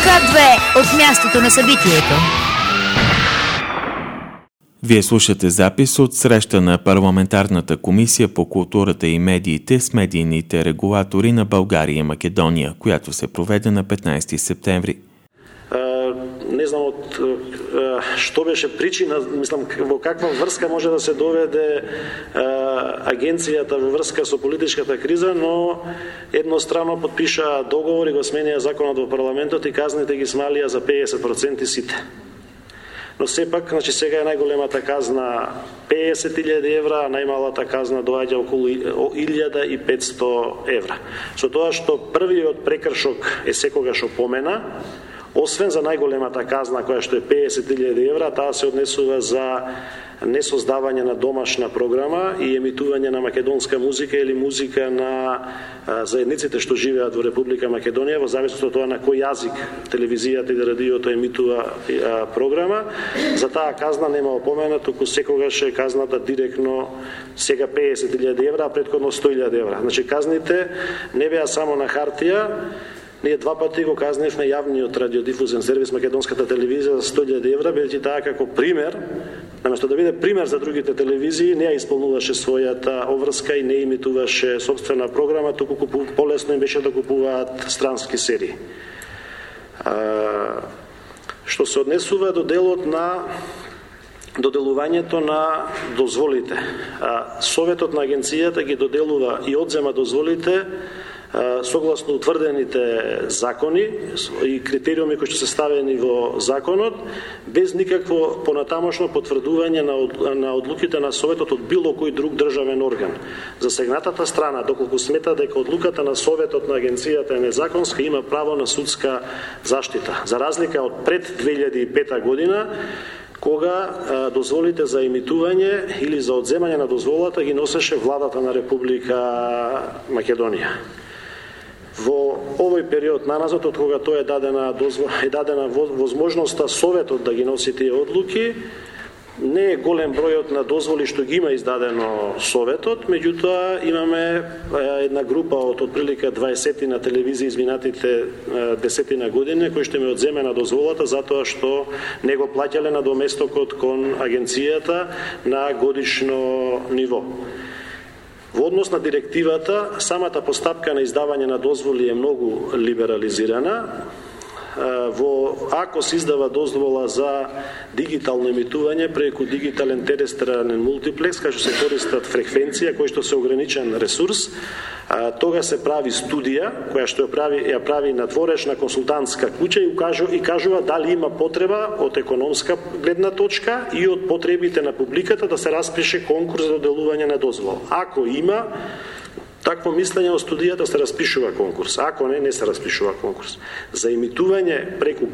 К2 от мястото на събитието. Вие слушате запис от среща на Парламентарната комисия по културата и медиите с медийните регулатори на България и Македония, която се проведе на 15 септември. Не знам што беше причина, мислам во каква врска може да се доведе агенцијата во врска со политичката криза, но едностранно подпиша договор и го сменија законот во парламентот и казните ги смалија за 50% сите. Но сепак, значи сега е најголемата казна 50.000 евра, а најмалата казна доаѓа околу 1.500 евра. Со тоа што првиот прекршок е секогаш опомена, освен за најголемата казна која што е 50.000 евра, таа се однесува за несоздавање на домашна програма и емитување на македонска музика или музика на заедниците што живеат во Република Македонија, во зависност од тоа на кој јазик телевизијата или радиото емитува програма. За таа казна нема опомена, туку секогаш е казната директно сега 50.000 евра, а претходно 100.000 евра. Значи казните не беа само на хартија. Ние два пати го казневме јавниот радиодифузен сервис Македонската телевизија за 100.000 евра, бидејќи таа како пример, наместо да биде пример за другите телевизии, не ја исполнуваше својата обврска и не имитуваше собствена програма, туку полесно им беше да купуваат странски серии. Што се однесува до делот на доделувањето на дозволите. Советот на агенцијата ги доделува и одзема дозволите согласно утврдените закони и критериуми кои што се ставени во законот, без никакво понатамошно потврдување на одлуките на Советот од било кој друг државен орган. Засегнатата страна, доколку смета дека одлуката на Советот на агенцијата е незаконска, има право на судска заштита. За разлика од пред 2005 година, кога дозволите за емитување или за одземање на дозволата ги носеше владата на Република Македонија. Во овој период наназад, од кога тоа е дадена возможноста Советот да ги носи тие одлуки, не е голем бројот на дозволи што ги има издадено Советот, меѓутоа имаме една група од отприлика 20 на телевизии изминатите 10 на години кои што ми одземена дозволата затоа што не го плаќале на доместокот кон агенцијата на годишно ниво. Во однос на директивата, самата постапка на издавање на дозволи е многу либерализирана. Ако се издава дозвола за дигитално емитување преку дигитален терестрален мултиплекс, кај што се користат фреквенција, кој што се ограничен ресурс, тога се прави студија, која што ја прави надворешна консултантска куќа и кажува дали има потреба од економска гледна точка и од потребите на публиката да се распише конкурс за доделување на дозвола. Ако има такво мислење од студијата, се распишува конкурс. Ако не се распишува конкурс. За емитување преку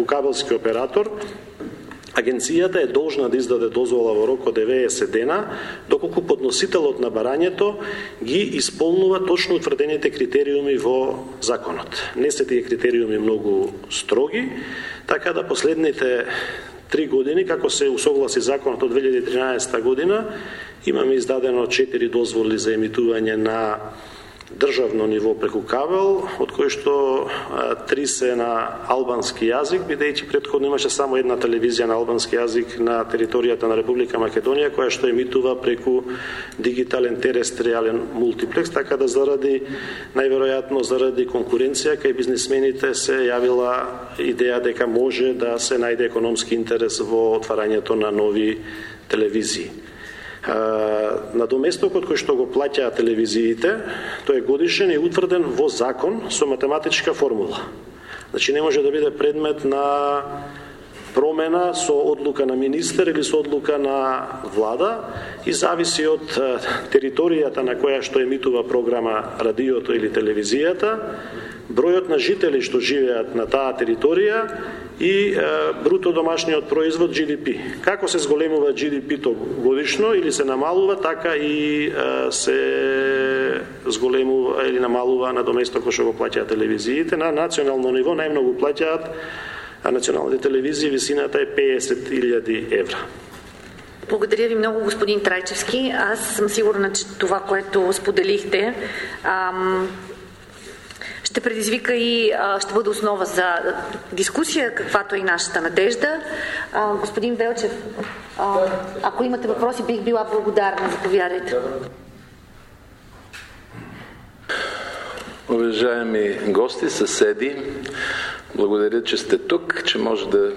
кабелски оператор, агенцијата е должна да издаде дозвола во рок од 90 дена, доколку подносителот на барањето ги исполнува точно утврдените критериуми во законот. Не се тие критериуми многу строги, така да последните 3 години, како се усогласи законот од 2013 година, имаме издадено 4 дозволи за емитување на државно ниво преку кабел, од кои што 3 се на албански јазик, бидејќи претходно имаше само една телевизија на албански јазик на територијата на Република Македонија, која што емитува преку дигитален терестриален мултиплекс, така да најверојатно заради конкуренција кај бизнисмените се јавила идеја дека може да се најде економски интерес во отварањето на нови телевизии. На доместокот кој што го плаќаат телевизиите, тој е годишен и утврден во закон со математичка формула. Значи не може да биде предмет на промена со одлука на министер или со одлука на влада и зависи од територијата на која што емитува програма радиото или телевизијата, бројот на жители што живеат на таа територија и бруто домашниот производ GDP. Како се зголемува GDP-то годишно или се намалува, така и се зголемува или намалува на доместокот што го плаќаат телевизиите. На национално ниво најмногу плаќаат националните телевизии, висината е 50.000 евра. Благодаря ви много, господин Трайчевски. Аз съм сигурна, че това, което споделихте, ще предизвика и ще бъде основа за дискусия, каквато е и нашата надежда. Господин Велчев, ако имате въпроси, бих била благодарна. Заповядайте. Уважаеми гости, съседи, благодаря, че сте тук, че може да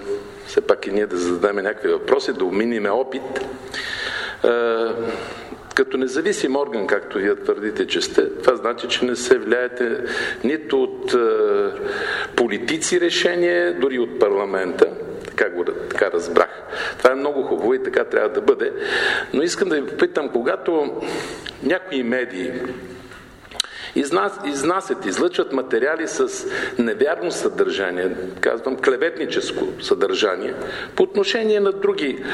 все пак и ние да зададем някакви въпроси, да обминиме опит. Като независим орган, както вие твърдите, че сте, това значи, че не се влияете нито от политици решения, дори от парламента. Така разбрах. Това е много хубаво и така трябва да бъде. Но искам да ви попитам, когато някои медии изнасят, излъчват материали с невярно съдържание, казвам клеветническо съдържание, по отношение на други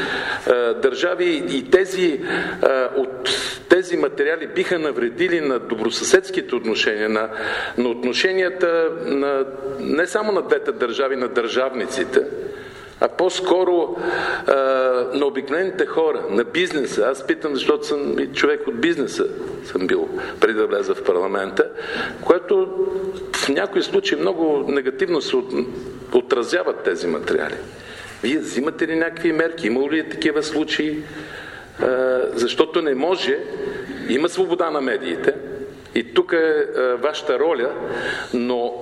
държави и тези материали биха навредили на добросъседските отношения, на отношенията не само на двете държави, на държавниците, а по-скоро на обикновените хора, на бизнеса. Аз питам, защото съм и човек от бизнеса, съм бил преди да вляза в парламента, което в някои случаи много негативно се отразяват тези материали. Вие взимате ли някакви мерки? Има ли такива случаи? Защото не може, има свобода на медиите и тук е вашата роля, но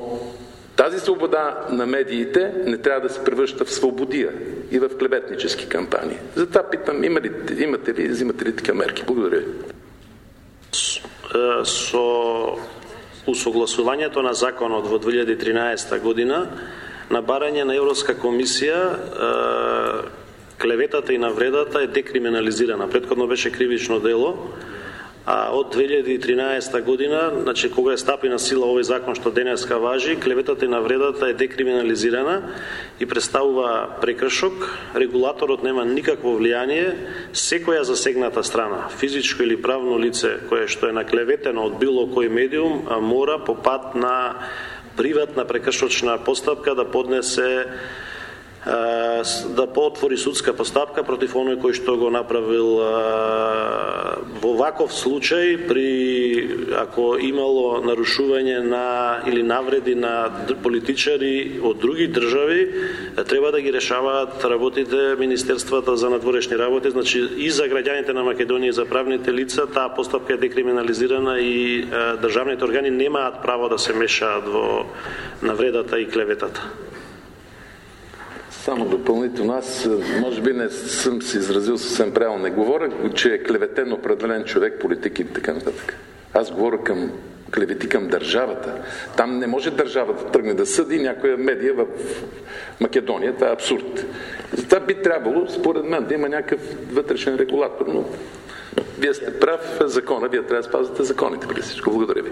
тази свобода на медиите не трябва да се превръща в свободия и в клеветнически кампании. Затова питам, взимате ли такива мерки? Благодаря. Со усогласувањето на законот во 2013 година, на барање на Европска комисија, клеветата и навредата е декриминализирана. Предходно беше кривично дело, а од 2013 година, значи кога стапи на сила овој закон што денеска важи, клеветата и навредата е декриминализирана и представува прекршок. Регулаторот нема никакво влијание. Секоја засегната страна, физичко или правно лице кое што е наклеветено од било кој медиум, мора по пат на приватна прекршочна постапка да поднесе, да поотвори судска постапка против оној кој што го направил. Во ваков случај, ако имало нарушување или навреди на политичари од други држави, треба да ги решаваат работите Министерствата за надворешни работи. Значи и за граѓаните на Македонија и за правните лица таа постапка е декриминализирана и државните органи немаат право да се мешаат во навредата и клеветата. Само допълнително, аз може би не съм се изразил съвсем правилно. Не говоря, че е клеветен определен човек, политик и така нататък. Аз говоря клевети към държавата. Там не може държавата да тръгне да съди някоя медия в Македония. Това е абсурд. Затова би трябвало, според мен, да има някакъв вътрешен регулатор. Но вие сте прав, закона, вие трябва да спазвате законите преди всичко. Благодаря ви.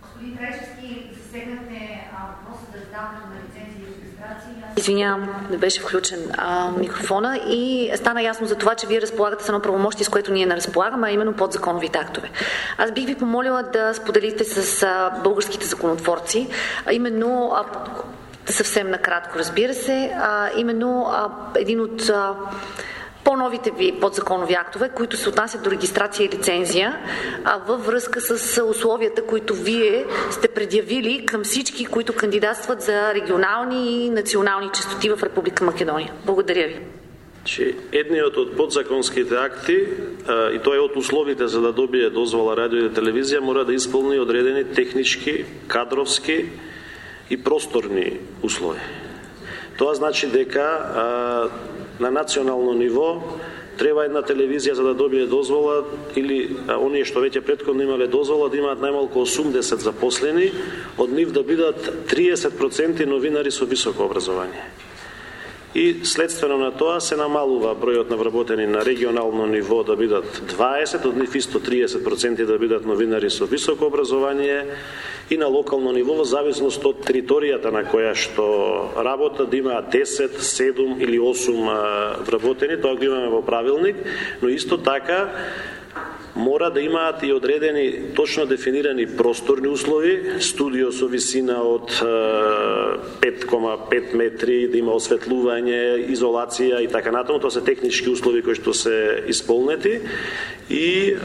Господин Трайчевски, засегнахте въпроса за издаването на лицензии и регистрации. Извинявам, не беше включен микрофона и стана ясно за това, че вие разполагате с едно правомощие, с което ние не разполагаме, а именно подзаконовите актове. Аз бих ви помолила да споделите с българските законотворци, именно съвсем накратко, разбира се, именно един от по-новите ви подзаконови актове, които се отнасят до регистрация и лицензия, във връзка с условията, които вие сте предявили към всички, които кандидатстват за регионални и национални честоти в Република Македония. Благодаря ви. Едниот од подзаконските акти, и тоа е од условите за да добие дозвола радио и телевизија, мора да исполни одредени технички, кадровски и просторни услови. Тоа значи дека на национално ниво треба една телевизија за да добие дозвола или оние што веќе претходно имале дозвола да имаат најмалку 80 запослени, од нив да бидат 30% новинари со високо образование. И следствено на тоа се намалува бројот на вработени на регионално ниво да бидат 20, од нив исто 30% да бидат новинари со високо образование, и на локално ниво во зависност од територијата на која што работа да има 10, 7 или 8 вработени, тоа го имаме во правилник, но исто така мора да имаат и одредени точно дефинирани просторни услови, студио со висина од 5,5 метри, да има осветлување, изолација и така натаму. Тоа се технички услови кои што се исполнети и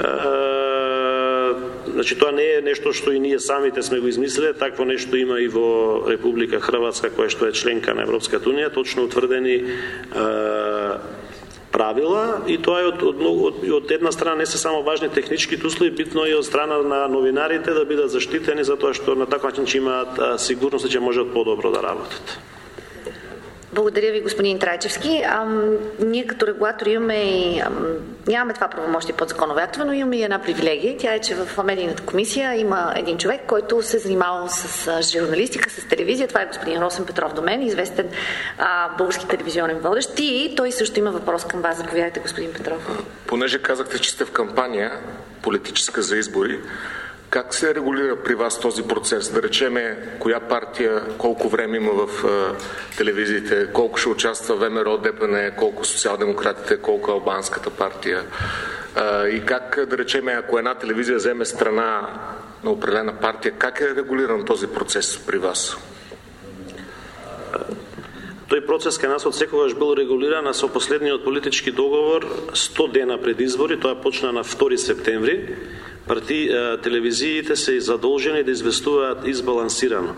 значи тоа не е нешто што и ние самите сме го измислиле, такво нешто има и во Република Хрватска, која што е членка на Европската унија, точно утврдени правила, и тоа е од една страна не се само важни техничките услови, битно и од страна на новинарите да бидат заштитени, затоа што на таков начин ќе имаат сигурност че можат подобро да работат. Благодаря ви, господин Трайчевски. Ние като регулатори нямаме това правомощие под законови актове, но имаме и една привилегия. Тя е, че в медийната комисия има един човек, който се занимава с журналистика, с телевизия. Това е господин Росен Петров до мен, известен български телевизионен водещ. И той също има въпрос към вас. Заповядайте, господин Петров. Понеже казахте, че сте в кампания политическа за избори, как се регулира при вас този процес? Да речеме, коя партия, колко време има в телевизиите, колко ще участва ВМРО, ДПН, колко социал-демократите, колко албанската партия? И как, да речеме, ако една телевизия вземе страна на определена партия, как е регулиран този процес при вас? Тој процес кај нас од секогаш бил регулиран, а со последниот политички договор 100 дена пред избори, тоа почна на 2 септември, телевизиите се задолжени да известуваат избалансирано.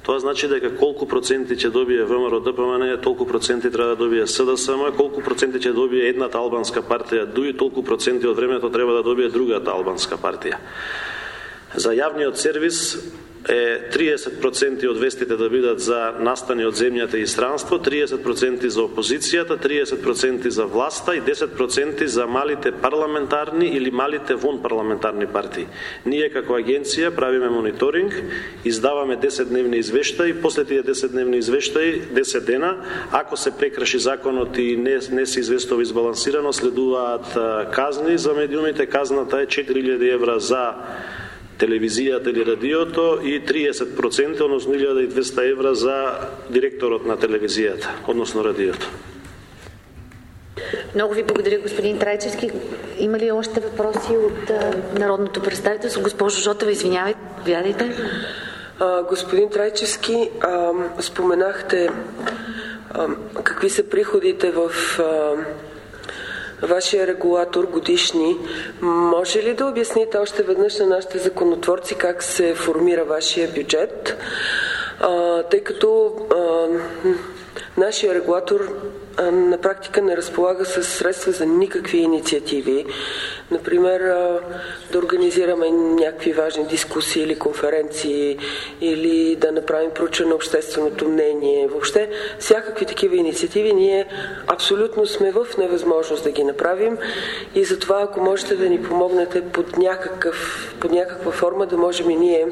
Тоа значи дека колку проценти ќе добие ВМРО ДПМН, толку проценти треба да добие СДСМ, колку проценти ќе добие едната албанска партија ДУИ, толку проценти од времето треба да добие другата албанска партија. За јавниот сервис е 30% од вестите да бидат за настани од земјата и странство, 30% за опозицијата, 30% за власта и 10% за малите парламентарни или малите вонпарламентарни партии. Ние како агенција правиме мониторинг, издаваме 10-дневни извештаи, после тие 10-дневни извештаи, 10 дена, ако се прекрши законот и не се известува избалансирано, следуваат казни за медиумите. Казната е 4000 евра за телевизијата или радиото и 30%, односно 1200 евра за директорот на телевизијата, односно радиото. Много ви благодаря, господин Трайчевски. Има ли още въпроси от народното представителство? Госпожо Жотева, извинявайте, повядайте. Господин Трайчевски, споменахте какви са приходите в вашия регулатор годишни. Може ли да обясните още веднъж на нашите законотворци как се формира вашия бюджет? Тъй като нашия регулатор на практика не разполага с средства за никакви инициативи. Например, да организираме някакви важни дискусии или конференции, или да направим проучване на общественото мнение. Въобще, всякакви такива инициативи ние абсолютно сме в невъзможност да ги направим и затова, ако можете да ни помогнете под някаква форма, да можем и ние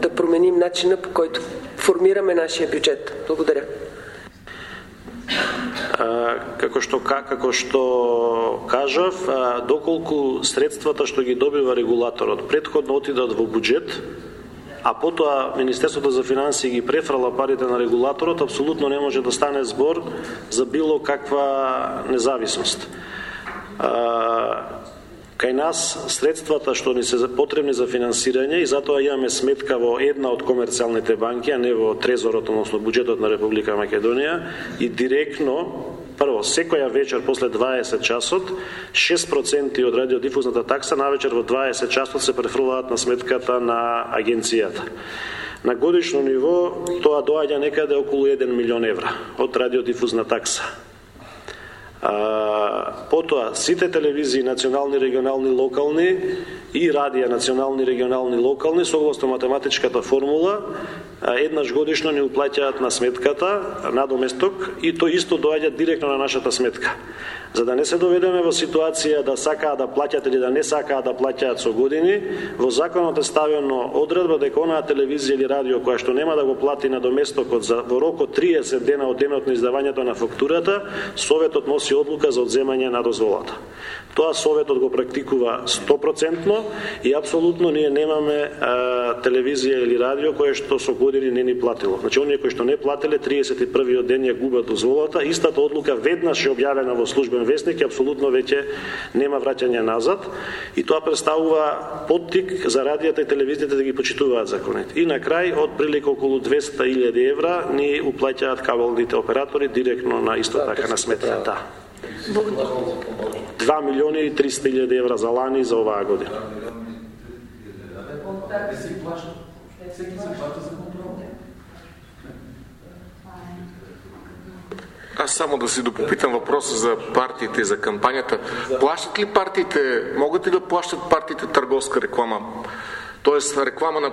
да променим начина, по който формираме нашия бюджет. Благодаря. Како што кажав, доколку средствата што ги добива регулаторот предходно отидат во буџет, а потоа Министерството за финансии ги префрала парите на регулаторот, апсолутно не може да стане збор за било каква независност. Кај нас средствата што ни се потребни за финансирање, и затоа имаме сметка во една од комерцијалните банки, а не во трезорот, односно буџетот на Република Македонија, и директно, прво, секоја вечер после 20 часот, 6% од радиодифузната такса навечер во 20 часот се префрлаат на сметката на агенцијата. На годишно ниво тоа доаѓа некаде околу 1 милион евра од радиодифузна такса. Потоа, сите телевизии, национални, регионални, локални и радија, национални, регионални, локални, согласно математичката формула, еднаш годишно ни уплаќаат на сметката надоместок и тоа исто доаѓа директно на нашата сметка. За да не се доведеме во ситуација да сакаат да плаќат или да не сакаат да плаќаат со години, во законот е ставено одредба дека онаа телевизија или радио која што нема да го плати надоместокот во рок од 30 дена од денот на издавањето на фактурата, Советот носи одлука за одземање на дозволата. Тоа Советот го практикува 100% и апсолутно ние немаме телевизија или радио кое што со години не ни платило. Значи, оние кои што не платиле 31-иот ден ја губат дозволата. Истата одлука веднаш е објавена во службен Слободен вестник и апсолутно веќе нема враќање назад и тоа представува поттик за радијата и телевизијата да ги почитуваат законите. И на крај од прилика околу 200.000 евра ни уплаќаат кабелните оператори директно на исто така на сметката. 2.300.000 евра за лани и за оваа година. Аз само да си допопитам въпроса за партиите и за кампанията. Плащат ли партиите, могат ли да плащат партиите търговска реклама? Тоест реклама на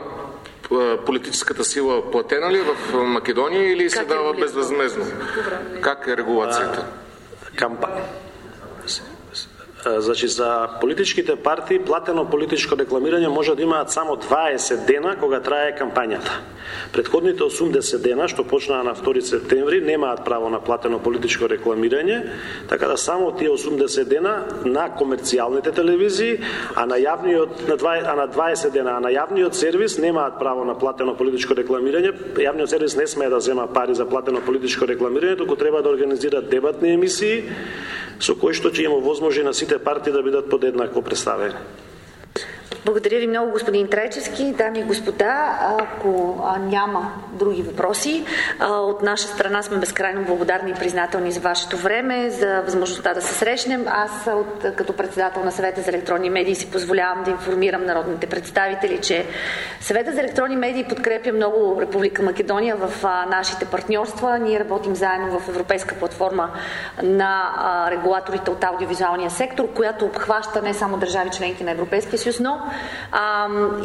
политическата сила платена ли е в Македония или се дава безвъзмездно? Как е регулацията? Значи, за политичките партии платено политичко рекламирање може да имаат само 20 дена кога трае кампањата. Предходните 80 дена, што почнаа на 2 септември, немаат право на платено политичко рекламирање, така да само тие 80 дена на комерцијалните телевизии, а на 20 дена, а на јавниот сервис немаат право на платено политичко рекламирање. Јавниот сервис не смее да зема пари за платено политичко рекламирање, туку треба да организираат дебатни емисии со кои што ќе им овозможи на сите партии да бидат подеднакво представени. Благодаря ви много, господин Трайчевски. Дами и господа, ако няма други въпроси, от наша страна сме безкрайно благодарни и признателни за вашето време, за възможността да се срещнем. Аз като председател на Съвета за електронни медии си позволявам да информирам народните представители, че Съвета за електронни медии подкрепя много Република Македония в нашите партньорства. Ние работим заедно в Европейска платформа на регулаторите от аудиовизуалния сектор, която обхваща не само държави членки на Европейския съюз, но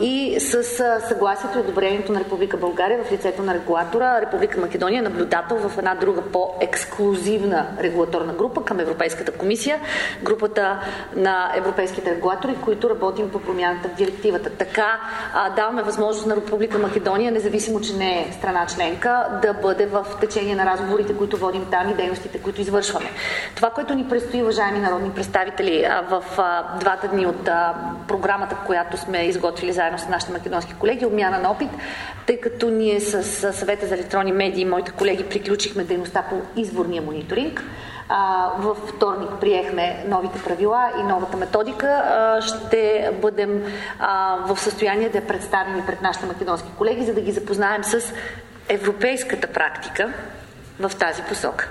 и с съгласието и одобрението на Република България в лицето на регулатора, Република Македония е наблюдател в една друга по-ексклузивна регулаторна група към Европейската комисия, групата на европейските регулатори, които работим по промяната в директивата. Така даваме възможност на Република Македония, независимо, че не е страна членка, да бъде в течение на разговорите, които водим там и дейностите, които извършваме. Това, което ни предстои, уважаеми народни представители, в 2 дни от програмата, която сме изготвили заедно с нашите македонски колеги, обмяна на опит, тъй като ние с Съвета за електронни медии и моите колеги приключихме дейността по изборния мониторинг. Във вторник приехме новите правила и новата методика. Ще бъдем в състояние да я представим и пред нашите македонски колеги, за да ги запознаем с европейската практика в тази посока.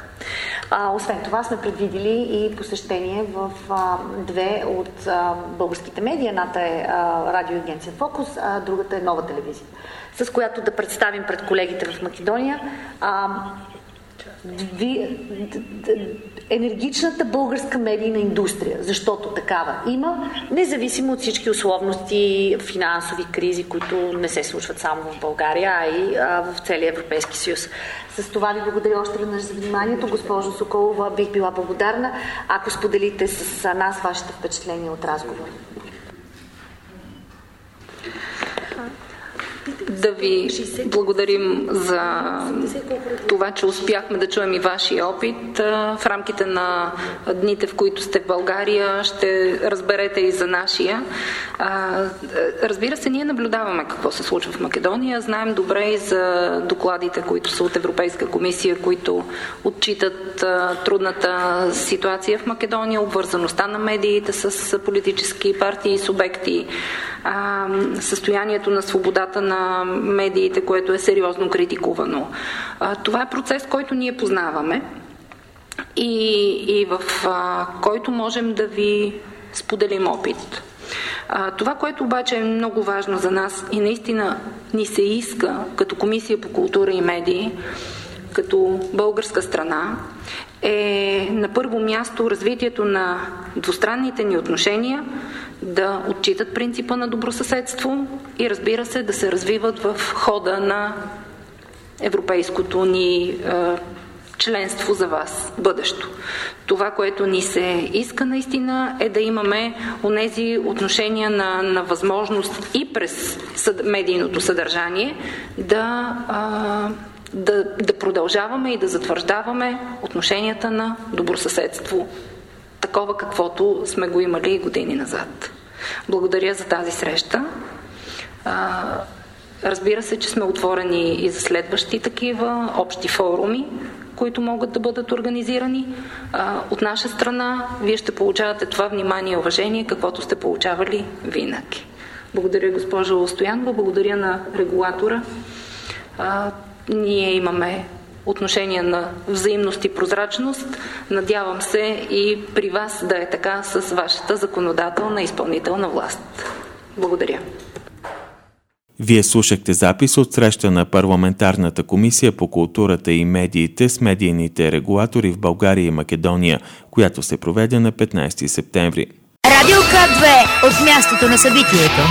Освен това сме предвидили и посещение в 2 от българските медии. Едната е радиоагенция Фокус, а другата е Нова телевизия, с която да представим пред колегите в Македония енергичната българска медийна индустрия, защото такава има, независимо от всички условности, финансови кризи, които не се случват само в България, а и в целия Европейски съюз. С това ви благодаря още веднъж за вниманието. Госпожо Соколова, бих била благодарна, ако споделите с нас вашите впечатления от разговора. Да ви благодарим за това, че успяхме да чуем и вашия опит. В рамките на дните, в които сте в България, ще разберете и за нашия. Разбира се, ние наблюдаваме какво се случва в Македония. Знаем добре и за докладите, които са от Европейска комисия, които отчитат трудната ситуация в Македония, обвързаността на медиите с политически партии и субекти, състоянието на свободата на медиите, което е сериозно критикувано. Това е процес, който ние познаваме и в който можем да ви споделим опит. Това, което обаче е много важно за нас и наистина ни се иска като Комисия по култура и медии, като българска страна, е на първо място развитието на двустранните ни отношения, да отчитат принципа на добросъседство и, разбира се, да се развиват в хода на европейското ни членство за вас, бъдещо. Това, което ни се иска наистина, е да имаме онези отношения на възможност и през медийното съдържание да продължаваме и да затвърждаваме отношенията на добросъседство, такова каквото сме го имали години назад. Благодаря за тази среща. Разбира се, че сме отворени и за следващи такива общи форуми, които могат да бъдат организирани. От наша страна, вие ще получавате това внимание и уважение, каквото сте получавали винаги. Благодаря, госпожо Стоянова, благодаря на регулатора. Ние имаме отношение на взаимност и прозрачност. Надявам се и при вас да е така с вашата законодателна и изпълнителна власт. Благодаря. Вие слушахте запис от среща на Парламентарната комисия по културата и медиите с медийните регулатори в България и Македония, която се проведе на 15 септември. Радио К2 от мястото на събитието.